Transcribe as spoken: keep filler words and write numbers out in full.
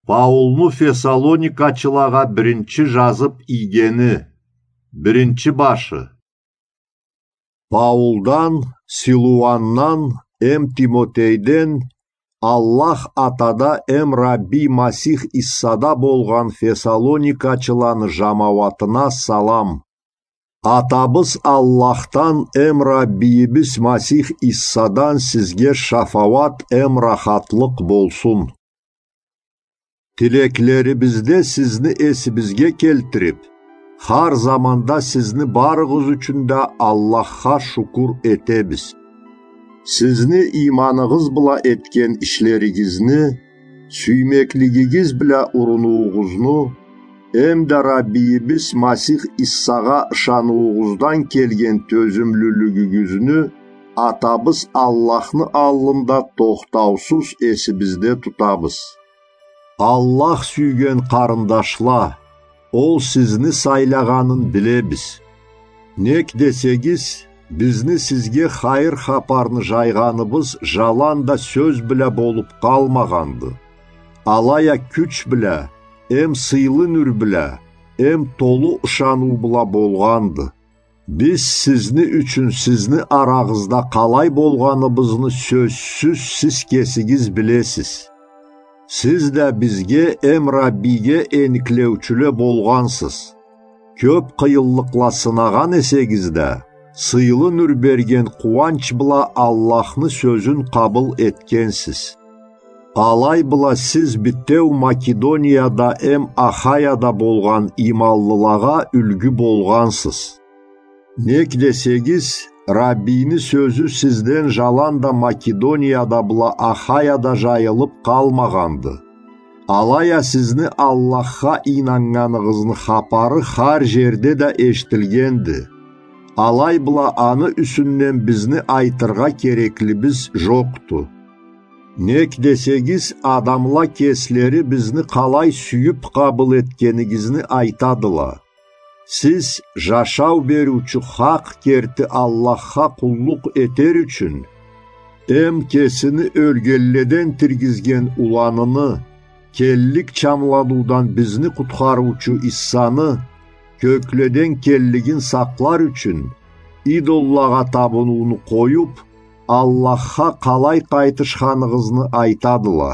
Паулну Фессалоникачылагъа биринчи жазып ийгени. Биринчи башы. Паулдан, Силуандан эм Тимотейден Аллах Атада эм Рабби Масих Иссада болгъан Фессалоникачыланы жамауатына салам. Атабыз Аллахдан эм Раббийибиз Масих Иссадан сизге шафауат эм рахатлыкъ болсун. Тилеклерибизде сизни эсибизге келтирип, хар заманда сизни барыгъыз ючюн да Аллахха шукур этебиз. Сизни ийманыгъыз бла этген ишлеригизни, сюймеклигигиз бла урунуугъузну, эм да Раббийибиз Масих Иссагъа ышануугъуздан келген тёзюмлюлюгюгюзню Атабыз Аллахны аллында тохтаусуз эсибизде тутабыз. Аллах сюйген къарындашла, Ол сизни сайлагъанын билебиз. Нек десегиз, бизни сизге хайыр хапарны жайгъаныбыз жаланда сёз бла болуп къалмагъанды, алай а кюч бла, эм сыйлы нюр бла, эм толу ышаныу бла болгъанды. Биз сизни ючюн сизни арагъызда къалай болгъаныбызны сёзсюз сиз кесигиз билесиз. Сиз да бизге эм Раббиге эниклеучюле болгъансыз. Кёп къыйынлыкъла сынагъан эсегиз да, сыйлы нюр берген къууанч бла Аллахны сёзюн къабыл этгенсиз. Алай бла сиз битеу Македонияда эм Ахаяда болгъан ийманлылагъа юлгю болгъансыз. Нек десегиз, Раббийни сёзю сизден жаланда Македонияда бла Ахаяда жайылып къалмагъанды. Алай а сизни Аллахха ийнаннганыгъызны хапары хар жерде да эшитилгенди. Алай бла аны юсюнден бизни айтыргъа кереклибиз жокъду. Нек десегиз, адамла кеслери бизни къалай сюйюп къабыл этгенигизни айтадыла. Сиз жашау бериучю хакъ керти Аллахха къуллукъ этер ючюн, эм кесини ёлгенледен тиргизген уланыны, келлик чамланыудан бизни къутхарыучу Иссаны, кёкледен келлигин сакълар ючюн, идоллагъа табынууну къоюп, Аллахха къалай къайтышханыгъызны айтадыла.